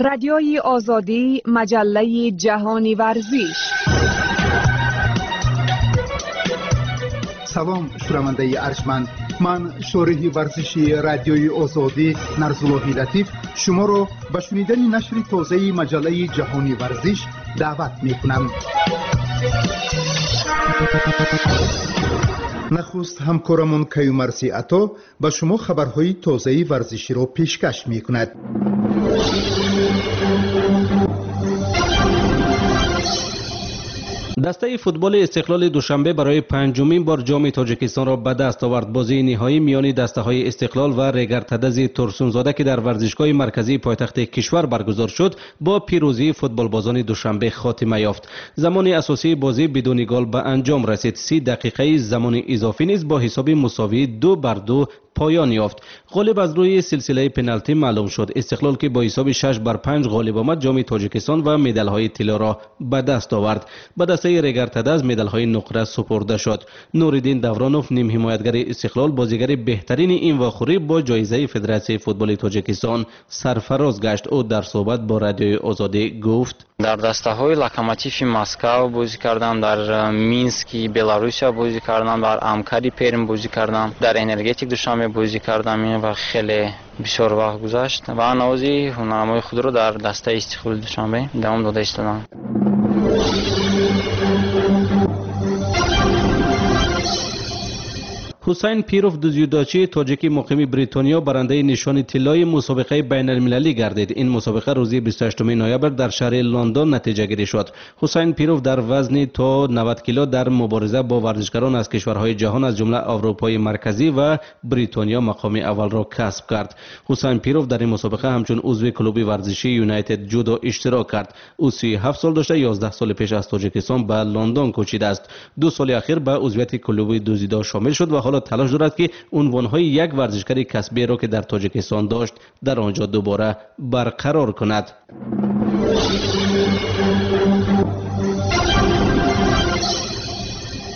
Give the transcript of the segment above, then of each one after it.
Радиои Озодӣ, маҷаллаи ҷаҳони варзиш. Салом, шунавандаи арҷманд. Ман шориҳи варзиши Радиои Озодӣ Нарзуллоҳи Латиф шуморо ба шунидани нашри тозаи маҷаллаи ҷаҳони варзиш даъват мекунам. Нахуст ҳамкорамон Каюмарси Ато ба шумо хабарҳои тозаи варзиширо пешкаш мекунад. Дастаи футболи Истиқлоли Душанбе барои панҷумин бор ҷоми Тоҷикистонро ба даст овард. Бозии ниҳоӣ миёни дастаҳои Истиқлол ва Регартадази Турсунзода, ки дар варзишгоҳи марказии пойтахти кишвар баргузор шуд, бо пирӯзии футболбозони Душанбе хотима ёфт. Замони асосии бозӣ бидуни гол ба анҷом расид. 30 дақиқаи замони изофӣ низ бо ҳисоби мусовии 2-2 поён ёфт. Ғолиб аз рӯи силсилаи пеналти маълум шуд. Истиқлол, ки бо ҳисоби 6-5 ғолиб омад, ҷоми Тоҷикистон ва медалҳои тиллоро ба даст овард. Ба дастаи Регартадаз медалҳои нуқра супурда шуд. Нуриддин Давронов, нимҳимоятгари Истиқлол, бозигари беҳтарини ин вохӯрӣ бо ҷоизаи Федератсияи футболи Тоҷикистон сарфароз гашт. Ӯ дар суҳбат бо Радиои Озодӣ гуфт: Дар дастаҳои Локомотиви Москав бозӣ кардам, дар Мински Беларусия бозӣ кардам, дар Амкари Перм бозӣ кардам, дар Энергетик Душанбе бозӣ кардам. Ин вақт хеле бисёр вақт гузашт ва навози ҳунарнамои худро дар дастаи Истиқлоли Душанбе давом дода истодам. Ҳусайн Пиров, дзюдочии тоҷики муқими Бритониё, барандаи нишони тиллои мусобиқаи байналмилалӣ гардид. Ин мусобиқа рӯзи 28 ноябр дар шаҳри Лондон натиҷагирӣ шуд. Ҳусайн Пиров дар вазни то 90 кило дар мубориза бо варзишгарон аз кишварҳои ҷаҳон, аз ҷумла Аврупои Марказӣ ва Бритониё, мақоми аввалро касб кард. Ҳусайн Пиров дар ин мусобиқа ҳамчун узви клуби варзишии Юнайтед Ҷудо иштирок кард. Ӯ 37 сол дошта, 11 соли пеш аз Тоҷикистон ба Лондон кӯчидааст. 2 соли ахир ба узвияти клуби дзюдо шомил шуд ва ҳоло талош дорад, ки унвонҳои як варзишгари касбиеро, ки дар Тоҷикистон дошт, дар он ҷо дубора барқарор кунад.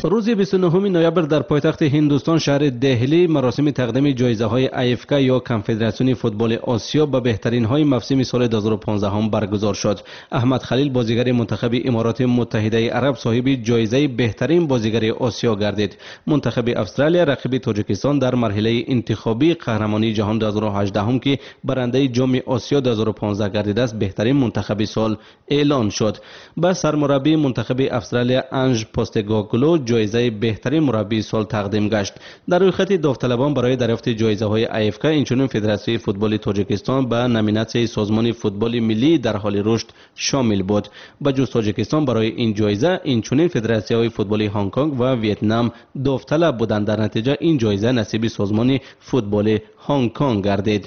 Рӯзи 29 ноябр дар пойтахти Ҳиндустон, шаҳри Деҳлӣ, маросими тақдими ҷоизаҳои АФК ё Конфедератсиони футболи Осиё ба беҳтаринҳои мавсими соли 2015 баргузор шуд. Аҳмад Халил, бозигари мунтахаби Имороти Муттаҳидаи Араб, соҳиби ҷоизаи беҳтарин бозигари Осиё гардид. Мунтахаби Австралия, рақиби Тоҷикистон дар марҳилаи интихобии қаҳрамонии ҷаҳон 2018, ки барандаи ҷоми Осиё 2015 гардидааст, беҳтарин мунтахаби сол эълон шуд. Ба сармураббии мунтахаби Австралия Анж Постегоглу ҷоизаи беҳтарин мураббии сол тақдим гашт. Дар рӯйхати довталабон барои дарёфти ҷоизаҳои АФК инчунин Федератсияи футболи Тоҷикистон ба номинатсияи Созмони футболи миллии дар ҳоли рушд шомил буд. Ба ҷуз Тоҷикистон барои ин ҷоиза инчунин федератсияҳои футболи Ҳонконг ва Вьетнам довталаб буданд. Дар натиҷа ин ҷоиза насиби Созмони футболи Ҳонконг гардид.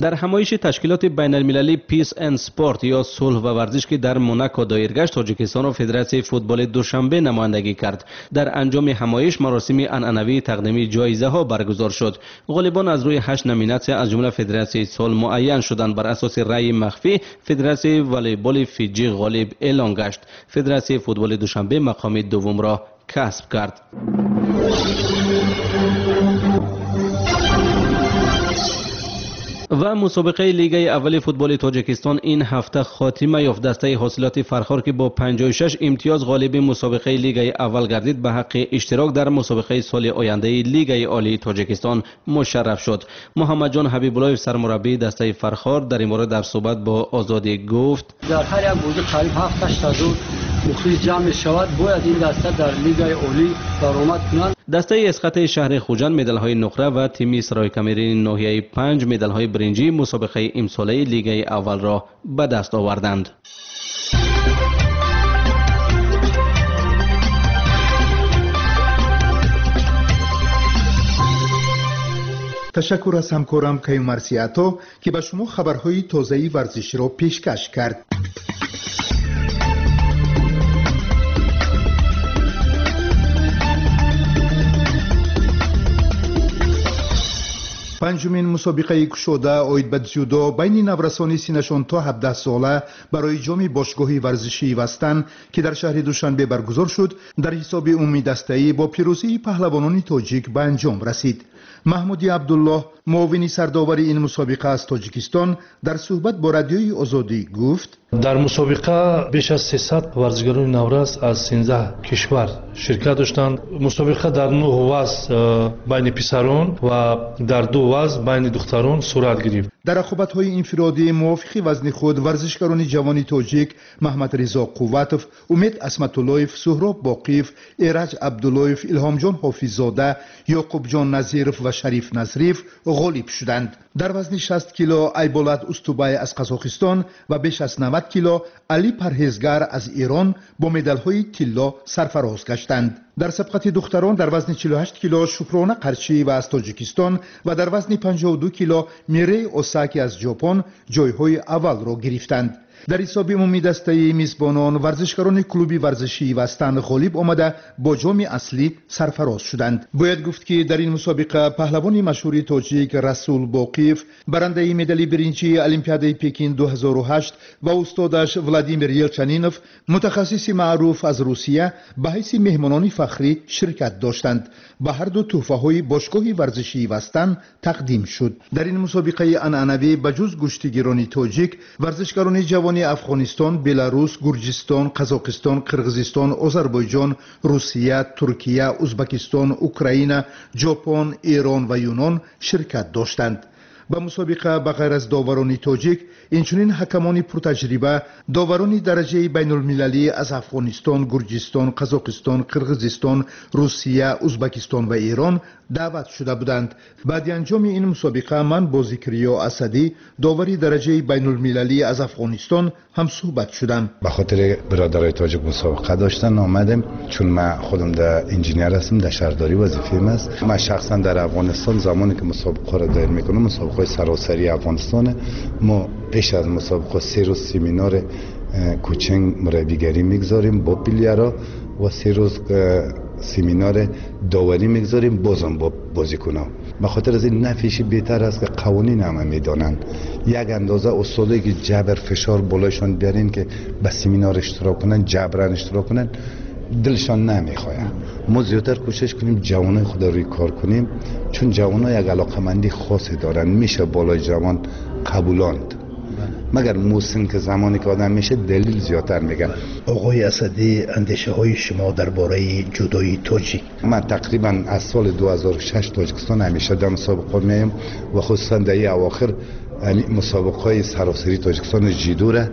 Дар ҳамоиши ташкилоти байналмилалии Peace and Sport ё сулҳ ва варзиш, ки дар Монако доир гашт, Тоҷикистонро Федератсияи футболи Душанбе намояндагӣ кард. Дар анҷоми ҳамоиш маросими анъанавии тақдими ҷоизаҳо баргузор шуд. Ғолибон аз рӯи 8 номинатсия, аз ҷумла Федератсияи сол, муайян шуданд. Бар асоси раъйи махфӣ Федератсияи волейболи Фиҷӣ ғолиб эълон гашт. Федератсияи футболи Душанбе мақоми дуввумро касб кард. Ва мусобиқаи Лигаи аввали футболи Тоҷикистон ин ҳафта хотима ёфт. Дастаи ҳосилоти Фархор, ки бо 56 имтиёз ғолиби мусобиқаи Лигаи аввал гардид, ба ҳаққи иштирок дар мусобиқаи соли ояндаи Лигаи олии Тоҷикистон мушарраф шуд. Муҳаммадҷон Ҳабибуллоев, сармураббии дастаи Фархор, дар ин бора дар суҳбат бо Озодӣ гуфт: Дар ҳар як бозӣ қариб 7-8 ҳазор мухлис ҷамъ мешавад. Бояд ин даста дар Лигаи олӣ баромад кунанд. Дастаи Эсхатаи шаҳри Хуҷанд медалҳои нуқра ва тими Сарои-Камерини ноҳияи 5 медалҳои биринҷии мусобиқаи имсолаи Лигаи аввалро ба даст оварданд. Ташаккур аз ҳамкорам Каюмарси Ато, ки ба шумо хабарҳои тозаи варзиширо пешкаш кард. Панҷумин мусобиқаи кушода оид ба дзюдо байни наврасони синнашон то 17 сола барои ҷоми бошгоҳи варзишии Вастан, ки дар шаҳри Душанбе баргузор шуд, дар ҳисоби умумидастаӣ бо пирӯзии паҳлавонони тоҷик ба анҷом расид. Маҳмуди Абдуллоҳ, муовини сардовари ин мусобиқа аз Тоҷикистон, дар суҳбат бо Радиои Озодӣ гуфт: Дар мусобиқа беш аз 300 варзишгарони наврас аз 13 кишвар ширкат доштанд. Мусобиқа дар 9 вазн байни писарон ва дар 2 вазн байни духтарон сурат гирифт. Дар рақобатҳои инфиродӣ мувофиқи вазни худ варзишгарони ҷавони тоҷик Маҳмадризо Қувватов, Умед Асматуллоев, Суҳроб Боқиев, Эраҷ Абдуллоев, Илҳомҷон Ҳофиззода, Ёқубҷон Назиров ва Шариф Назриев ғолиб шуданд. Дар вазни 60 кило Айболат Устубай аз Қазоқистон ва беш аз 90 кило Али Парҳезгар аз Эрон бо медалҳои тилло сарфароз гаштанд. Дар сабқати духтарон дар вазни 48 кило Шукрона Қарчиева аз Тоҷикистон ва дар вазни 52 кило Мирей Осаки аз Ҷопон ҷойҳои аввалро гирифтанд. Дар ҳисоби умумии дастаи мизбонон варзишгарони клуби варзишии Вастан ғолиб омада бо ҷоми аслӣ сарфароз шуданд. Бояд гуфт, ки дар ин мусобиқа паҳлавони машҳури тоҷик Расул Боқиев, барандаи медали биринҷии Олимпиадаи Пекин 2008, ва устодаш Владимир Елчанинов, мутахассиси маъруф аз Русия, ба ҳайси меҳмонони фахрӣ ширкат доштанд. Ба ҳарду тӯҳфаҳои бошгоҳи варзишии Вастан тақдим шуд. Дар ин мусобиқаи анъанавӣ ба ҷуз гӯштигирони тоҷик варзишгарони ҷавони Афғонистон, Беларус, Гурҷистон, Қазоқистон, Қирғизистон, Озарбойҷон, Русия, Туркия, Узбакистон, Украина, Ҷопон, Эрон ва Юнон ширкат доштанд. Ба мусобиқа ба ғайр аз доварони тоҷик инчунин ҳакамони пуртаҷриба, доварони дараҷаи байнулмилалӣ аз Афғонистон, Гурҷистон, Қазоқистон, Қирғизистон, Русия, Узбакистон ва Эрон даъват шуда буданд. Баъди анҷоми ин мусобиқа ман бо Зикриё Асадӣ, довари дараҷаи байнулмилалӣ аз Афғонистон, ҳамсӯҳбат шудам. Ба хотири бародарои тоҷик мусобиқа доштан омадем, чун ман худам дар инженер ҳастам, дар шаҳрдорӣ вазифаам аст. Ман шахсан дар Афғонистон замоне ки мусобиқаро доир мекунам, мусобиқаҳои саросарии Афғонистон, мо пеш аз мусобиқа 3 рӯз семинар coaching мураббигарӣ мегузорем бо player а ва 3 рӯз семинар доварӣ мегузорем бозам бо бозикунон. Ба хотир аз ин нафиши беҳтар аст ки қавонин ҳама медонанд. Як андоза устодое ки ҷабр фишор болояшон биарем ки ба семинар иштирок кунанд, ҷабран иштирок кунанд, дилшон намехоҳад. Мо зиёдтар кӯшиш кунем ҷавонои худро рӯи кор кунем, чун ҷавонҳо як алоқамандии хосе доранд, меша болои ҷавон қабулонд. Магар мусин ки замоне ки одам меша далел зиёдтар меган. Оғои Асадӣ, андешаҳои шумо дар бораи ҷудои тоҷик? Ман тақрибан аз соли 2006 Тоҷикистон ҳамеша дар мусобиқа меоям ва хусусан дар ин авохир мусобиқаҳои саросарии Тоҷикистон ҷидура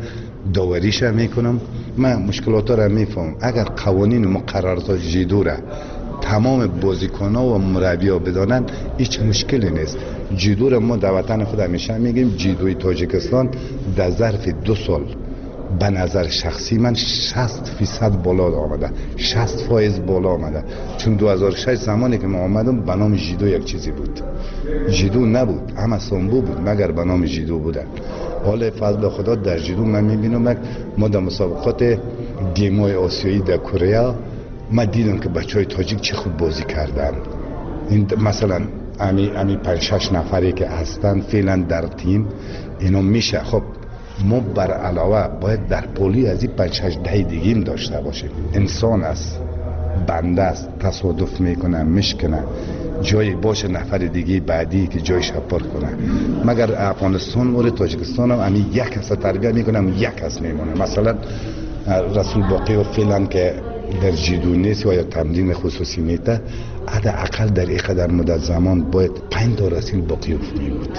довариша мекунам. Ман мушкилотро мефаҳмам. Агар қавонин муқаррароти ҷидура тамоми бозикунҳо ва мураббиҳо бидонанд, ҳеҷ мушкиле нест. Ҷидура мо дар ватани худ ҳамеша мегӯем, ҷидои Тоҷикистон дар зарфи 2 сол ба назар шахсии ман 60% боло омада, 60% боло омада. Чун 2006 замоне ки ман омадам, ба номи ҷидо як чизе буд. Ҷидо набуд, ҳама самбо буд, магар ба номи ҷидо буданд. ҳоло фазли худо дар ҷидо ман мебинам, мо дар мусобиқоти геймҳои осиёӣ дар Корея ман дидам ки бачаҳои тоҷик чӣ хуб бозӣ карданд. Ин масалан ами 5-6 нафаре ки ҳастанд феълан дар тим, ино меша. Хоб мо бар алова бояд дар поли аз ин 5-6 даҳи дигим дошта бошем. Инсон аст, банда аст, тасодуф мекунад, мешканад, ҷое боша нафари дигаи баъдӣ ки ҷойша пур кунад. Магар Афғонистон вори Тоҷикистон ҳам ами як каса тарбия мекунам, як кас мемонад. Масалан Расул Боқиев феълан ки дар ҷидо нест ва ё тамрини хусусӣ мета, ҳадди ақал дар ин қадар муддат замон бояд 5 та Расул Боқиев мебуд.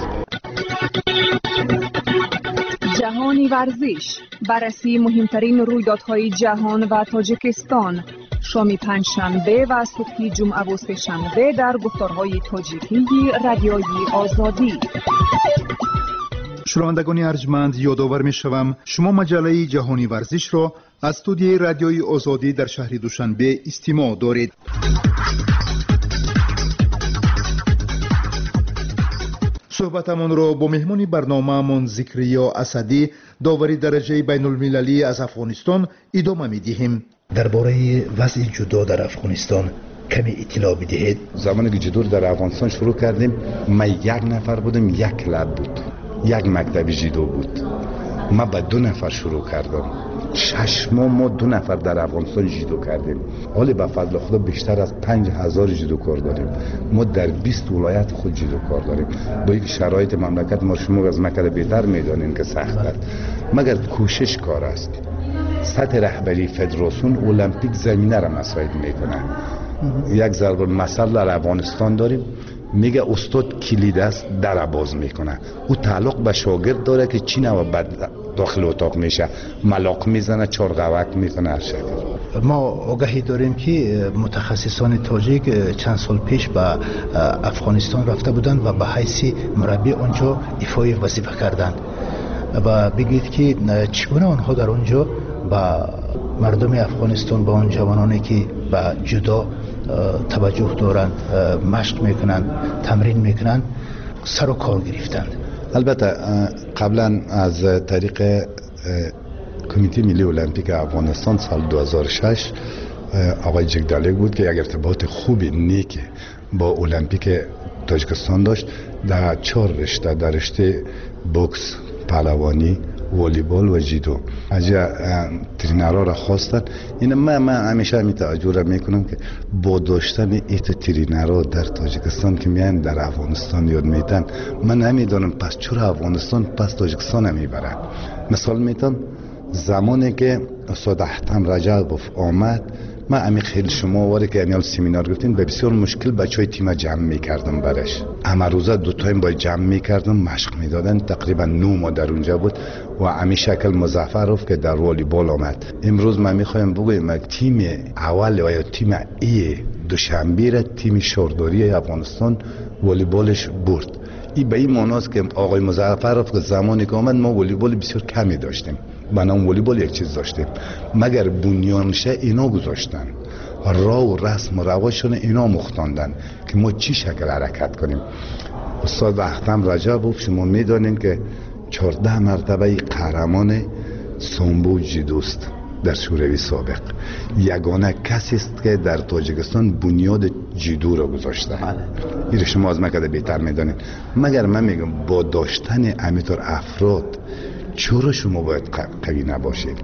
Ҷаҳони варзиш, баррасии муҳимтарин рӯйдодҳои ҷаҳон ва Тоҷикистон, шоми панҷшанбе ва субҳи ҷумъаву сешанбе дар гуфторҳои тоҷикии Радиои Озодӣ. Шунавандагони арҷманд, ёдовар мешавам, шумо маҷаллаи ҷаҳони варзишро аз студияи Радиои Озодӣ дар шаҳри Душанбе истимоъ доред. Суҳбатамонро бо меҳмони барномаамон Зикриё Асадӣ, довари дараҷаи байнулмилалӣ аз Афғонистон, идома медиҳем. Дар бораи вазъи ҷудо дар Афғонистон каме иттилоъ бидиҳед. Замоне ки ҷудоро дар Афғонистон шурӯъ кардем, ман як нафар будам, як клуб буд, як мактаби ҷудо буд. Ман ба 2 нафар шурӯъ кардам. 6 ماه ما 2 نفر در افغانستان جودو کردیم. حالا به فضل خدا بیشتر از 5000 جودوکار داریم. ما در 20 ولایت خود جودوکار داریم. با یک شرایط مملکت ما شما از مکه بهتر میدانین که سخت است، مگر کوشش کار است. سطح رهبری فدراسیون المپیک زمینه را مساعد میکنه. یک ضرب المثل در افغانستان داریم، میگه استاد کلید است در باز میکنه. او تعلق به شاگرد داره که چی نوع بعد داخل اتاق میشه، ملاق میزنه، چارقوک میکنه، هر شکل. ما آگاهی داریم که متخصصان تاجیک چند سال پیش به افغانستان رفته بودند و به حیث مربی آنجا ایفای وظیفه کردند. و بگید که چگونه آنها در آنجا به مردم افغانستان، به آن جوانانی که به جدا توجه دارند، مشق میکنند، تمرین میکنند، سر و کار گرفتند؟ البته قبلا از طریق کمیته ملی المپیک افغانستان سال 2006 آقای جگدالک بود که یک ارتباط خوبی نیک با المپیک تاجیکستان داشت. در 4 رشته، در رشته بوکس، پهلوانی، والیبال و جیدو از ترینرها را خواستن. این من همیشه همین توجه را میکنم که با داشتن ایت ترینرها در تاجیکستان که میان در افغانستان یاد میتن، من نمیدانم پس چرا افغانستان پس تاجیکستان میبرن. مثال میتم زمانی که استاد احتم رجبوف آمد، من امی خیلی شما واری که امیال سمینار گفتین به بسیار مشکل بچهای تیم جمع میکردم برش. همه روزه 2 تایم باید جمع میکردم، مشق میدادن. تقریبا 9 ماه در اونجا بود و امی شکل مظفروف که در والیبال آمد. امروز من میخوایم بگویم تیم اول یا تیم ای دوشنبه را تیم شهرداری افغانستان والیبالش برد. این به این معناست که آقای مظفروف که زمانی که آمد ما والیبال بسیار کمی داشتیم، بنام والیبال یک چیز داشتیم، مگر بنیانشه اینا گذاشتن، راه و رسم و رواشون اینا مختاندن که ما چی شکل حرکت کنیم. استاد اختم رجبوف شما میدانین که 14 مرتبه قهرمان سامبو جیدوست در شوروی سابق، یگانه کسی است که در تاجیکستان بنیاد جیدو را گذاشته. این شما از من که بهتر میدانید. مگر من میگم با داشتن امیتر افراد چرا شما باید قوی نباشید؟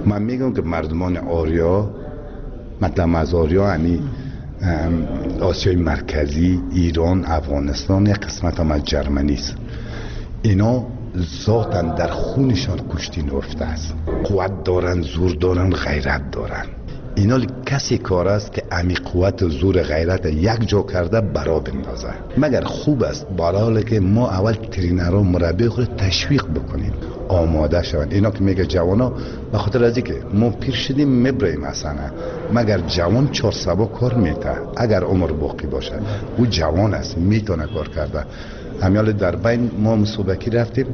من میگم که مردمان آریا، مطلب از آریا یعنی آسیای مرکزی، ایران، افغانستان، یک قسمت هم از جرمنی است. اینا ذاتاً در خونشان کشتی نهفته است. قوت دارن، زور دارن، غیرت دارن. اینا کسی کار است که امی قوت و زور غیرت یک جا کرده برا بندازه. مگر خوب است برای که ما اول ترینرها مربی خود تشویق بکنیم آماده شوند. اینا که میگه جوانا به خاطر از اینکه ما پیر شدیم میبریم اصلا، مگر جوان 4 سبا کار میته اگر عمر باقی باشه. او جوان است میتونه کار کرده. همیال در بین ما مسابقه رفتیم،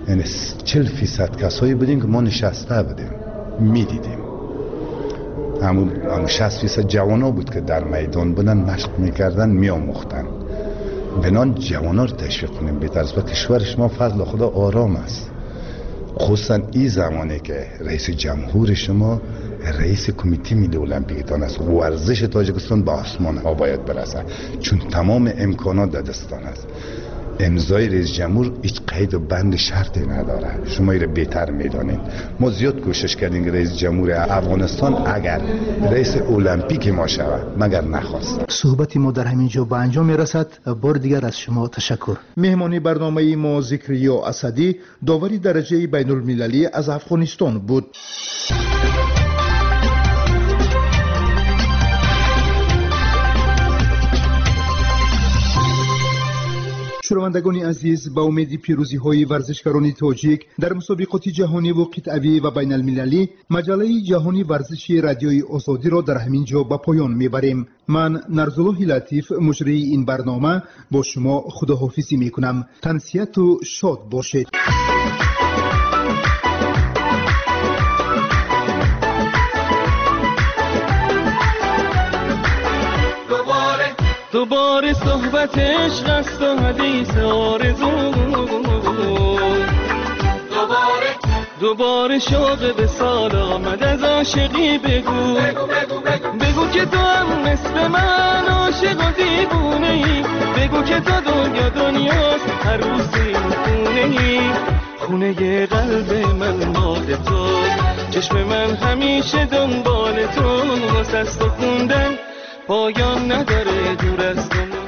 یعنی 40% کسایی بودیم که ما نشسته بودیم میدیدیم. همون 60% جوانا بود که در میدان بودن، مشق میکردن، میآموختن. بنان جوانا رو تشویق کنیم بهتر است. و کشور شما فضل خدا آرام است، خصوصا این زمانی که رئیس جمهور شما رئیس کمیته ملی المپیک است. ورزش تاجیکستان به آسمان ها باید برسه، چون تمام امکانات در دستان است. امضای رئیس جمهور هیچ قید و بند شرطی نداره، شما این رو بهتر میدانید. ما زیاد کوشش کردیم که رئیس جمهور افغانستان اگر رئیس المپیک ما شود، مگر نخواست. صحبت ما در همین جا به انجام میرسد. بار دیگر از شما تشکر. مهمانی برنامه ما ذکریا اسدی، داوری درجه بین المللی از افغانستان بود. شنوندگان عزیز، با امید پیروزی‌های ورزشکاران تاجیک در مسابقات جهانی و قطعوی و بین المللی، مجله جهانی ورزشی رادیوی آزادی را در همین جا به پایان میبریم. من نرزالله لطیف، مجری این برنامه، با شما خداحافظی میکنم. تنسیت و شاد باشید. دوباره صحبت عشق است و حدیث آرزو، دوباره شوق به سال آمد از عاشقی بگو، بگو بگو بگو، بگو که تو هم مثل من عاشق و دیوونه ای، بگو که تا دنیا دنیاست عروس این خونه ای، خونه قلب من مال تو، چشم من همیشه دنبال تو، واسه تو خوندن پایان نداره دور از تو.